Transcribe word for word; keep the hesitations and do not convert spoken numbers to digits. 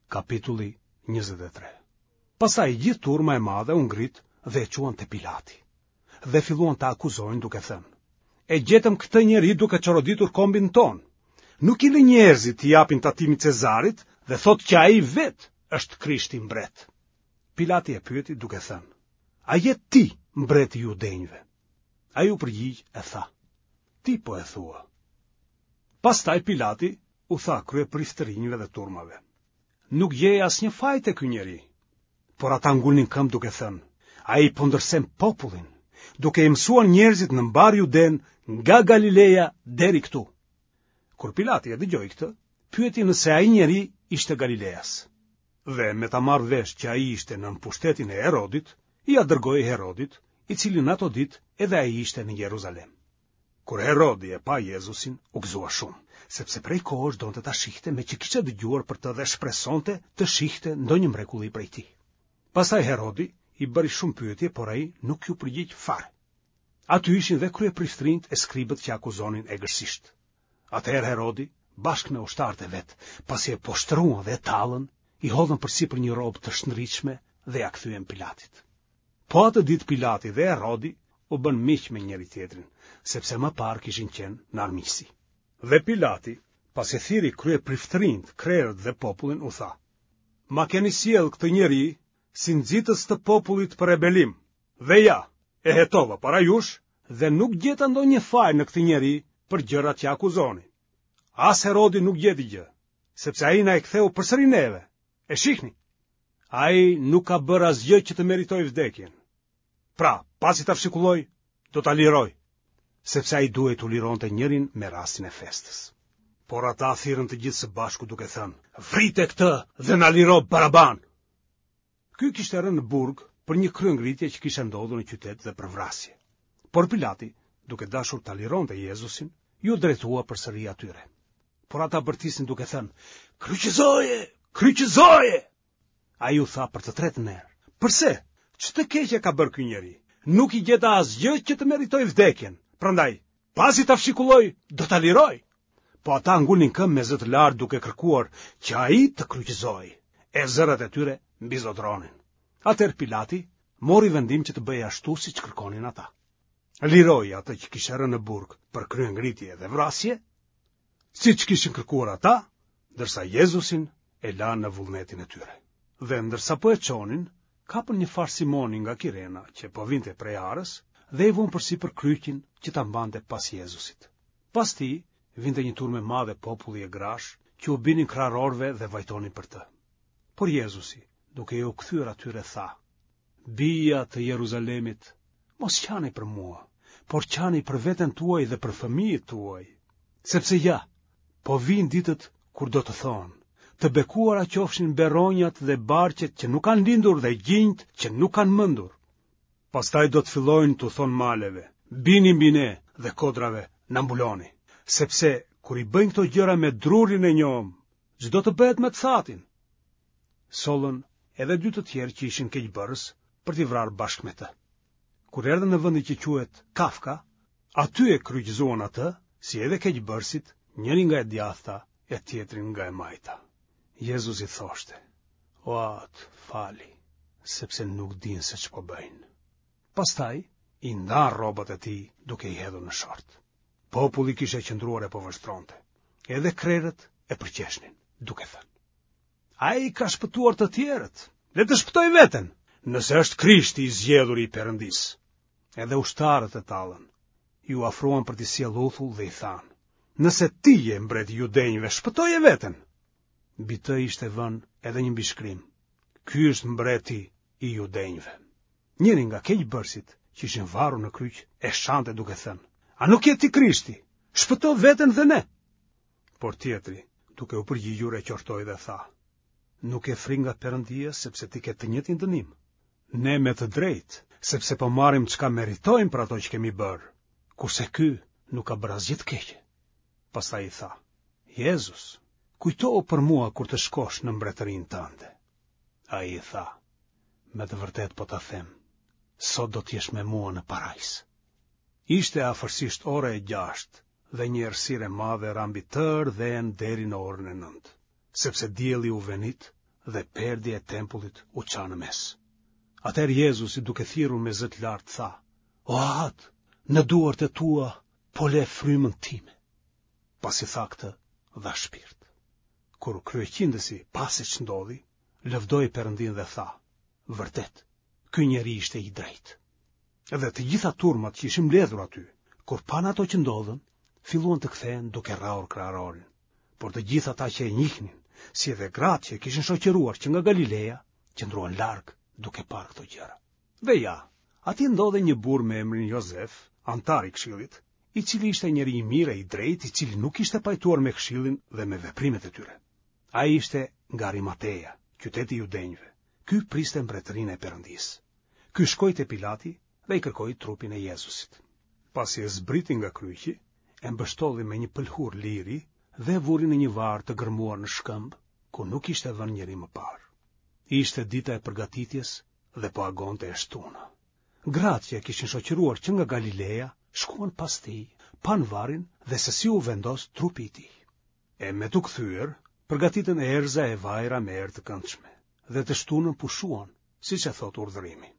Kapitulli njëzet e tre. Pastaj gjithë turma e madhe u ngrit dhe e çuan te Pilati. Dhe filluan ta akuzojnë duke thënë: E gjetëm këtë njeri duke çoroditur kombin tonë. Nuk i lë njerëzit t'i japin tatimin Cezarit dhe thotë që ai vetë është Krishti mbret. Pilati e pyeti duke thënë: A je ti mbreti i judenjve? Ai u përgjigj e tha: Ti po e thua. Pastaj Pilati u tha kryepriftërinjve dhe turmave: Nuk gjej asnjë faj te ky njeri. Por ata ngulnin këmbë duke thënë: Ai po ndërsen popullin, duke i mësuar njerëzit në mbarë Judenë nga Galileja deri këtu. Kur Pilati e dëgjoi këtë, pyeti nëse ai njeri ishte Galileas. Dhe me ta marrë vesh që ai ishte nën pushtetin e Herodit, ia dërgoi Herodit, i cili në ato ditë edhe ai ishte në Jeruzalem. Kur Herodi e pa Jezusin, u gëzua shumë, sepse prej kohësh donte ta shihte meqë kishte dëgjuar për të dhe shpresonte të shihte ndonjë mrekulli prej tij. Pastaj Herodi i bëri shumë pyetje, por ai nuk iu përgjigj fare. Aty ishin dhe kryepriftërinjtë e skribët që akuzonin egërsisht. Atëherë Herodi, bashkë me ushtarët e vet, pasi e poshtëruan dhe e tallën, i hodhën përsipër një rrobë të shndritshme dhe ia kthyen Pilatit. Po atë ditë Pilati dhe Herodi u bënë miq me njëri-tjetrin, sepse më parë kishin qenë në armiqësi. Dhe Pilati, pasi thirri kryepriftërinjtë, krerët dhe popullin, u tha: Ma keni sjellë këtë njeri si nxitës të popullit për rebelim, dhe ja, e hetova para jush dhe nuk gjeta ndonjë faj në këtë njeri për gjërat që akuzoni. As Herodi nuk gjeti gjë, sepse ai na e ktheu përsëri neve. E shihni, ai nuk ka bërë asgjë që të meritojë vdekjen. Pra, pasi ta fshikulloj, do ta liroj, sepse ai duhej t'u lironte njërin me rastin e festës. Por ata thirrën të gjithë së bashku duke thënë, vrite këtë dhe na liro Baraban! Ky kishte rënë në burg për një kryengritje që kishte ndodhur në qytet dhe për vrasje. Por Pilati, duke dashur ta lironte Jezusin, iu drejtua përsëri atyre. Por ata bërtisnin duke thënë, kryqëzoje, kryqëzoje! Ai u tha për të tretën herë, përse, ç'të keqe ka bërë ky njeri? Nuk i gjeta asgjë që të meritojë vdekjen, prandaj, pasi ta fshikulloj, do ta liroj. Po ata ngulnin këmbë me zë të lartë duke kërkuar që ai të kryqëzohej, e zërat e tyre mbizotëronin. Atëherë Pilati mori vendim që të bëhej ashtu siç kërkonin ata. Liroi atë që kishte rënë në burg për kryengritje dhe vrasje, siç kishin kërkuar ata, ndërsa Jezusin e la në vullnetin e tyre. Dhe ndërsa po e çonin, kapën një farë Simoni nga Kirena që po vinte prej arës dhe i vunë përsipër kryqin që ta mbante pas Jezusit. Pas tij vinte një turmë e madhe populli e grash që u binin krahërorëve dhe vajtonin për të. Por Jezusi, duke iu kthyer atyre, tha: Bija të Jeruzalemit, mos qani për mua, por qani për veten tuaj dhe për fëmijët tuaj. Sepse ja, po vijnë ditët kur do të thonë, të bekuara qofshin beronjat dhe barqet që nuk kanë lindur dhe gjinjtë që nuk kanë mëndur. Pastaj do të fillojnë t'u thonë maleve, bini mbi ne dhe kodrave na mbuloni, sepse kur i bëjnë këto gjëra me drurin e njomë, ç'do të bëhet me të thatin? Sollën edhe dy të tjerë që ishin keqbërës për t'i vrarë bashkë me të. Kur erdhën në vendin që quhet Kafka, aty e kryqëzuan atë, si edhe keqbërësit, njërin nga e djathta e tjetrin nga e majta. Jezusi thoshte, O Atë, fali, sepse nuk dinë se ç'po bëjnë. Pastaj i ndanë rrobat e tij duke i hedhur në short. Populli kishte qëndruar e po vështronte. Edhe krerët e përqeshnin, duke thënë: Ai ka shpëtuar të tjerët, le të shpëtojë veten, nëse është Krishti i zgjedhuri i Perëndisë. Edhe ushtarët e tallën, iu afruan për t'i sjellë uthull dhe i thanë, nëse ti je mbreti i judenjve, shpëtoje veten. Mbi të ishte vënë edhe një mbishkrim. Ky është mbreti i judenjve. Njëri nga keqbërësit që ishin varur në kryq e shante duke thënë, a nuk je ti Krishti? Shpëto veten dhe ne. Por tjetri, duke u përgjigjur e qortoi dhe tha, nuk ke frikë nga Perëndia sepse ti ke të njëjtin dënim. Ne me të drejtë, sepse po marrim çka meritojmë për ato që kemi bërë, kurse ky nuk ka bërë asgjë të keqe. Pastaj i tha, Jezus, kujtohu për mua kur të shkosh në mbretërinë tënde. Ai i tha, me të vërtetë po ta them, sot do të jesh me mua në parajsë. Ishte afërsisht ora e gjashtë dhe një errësirë e madhe ra mbi tërë dhenë deri në orën e nëntë, sepse dielli u venit dhe perdja e tempullit u ça në mes. Atëherë Jezusi duke thirrur me zë të lartë tha: O Atë, në duart e tua po le frymën time. Pasi tha këtë, dha shpirt. Kur kryeqindësi pa se ç'ndodhi, lëvdoi Perëndinë dhe tha: Vërtet, ky njeri ishte i drejtë. Dhe të gjitha turmat që ishin mbledhur aty, kur panë ato që ndodhën, filluan të kthehen duke rrahur kraharorin. Por të gjithë ata që e njihnin, si edhe gratë që e kishin shoqëruar që nga Galileja, qëndruan larg duke parë këto gjëra. Dhe ja, aty ndodhej një burrë me emrin Jozef, anëtar i këshillit, i cili ishte njeri i mirë e i drejtë, i cili nuk ishte pajtuar me këshillin dhe me veprimet e tyre. Ai ishte nga Arimateja, qyteti i judenjve. Ky priste mbretërinë e Perëndisë. Ky shkoi te Pilati dhe i kërkoi trupin e Jezusit. Pasi e zbriti nga kryqi, e mbështolli me një pëlhurë liri dhe e vuri në një varr të gërmuar në shkëmb, ku nuk ishte vënë njeri më parë. Ishte dita e përgatitjes dhe po agonte e shtuna. Gratë që e kishin shoqëruar që nga Galileja shkuan pas tij, panë varrin dhe se si u vendos trupi i tij. E me t'u kthyer, përgatitën erëza e vajra me erë të këndshme, dhe të shtunën pushuan, siç e thotë urdhërimi.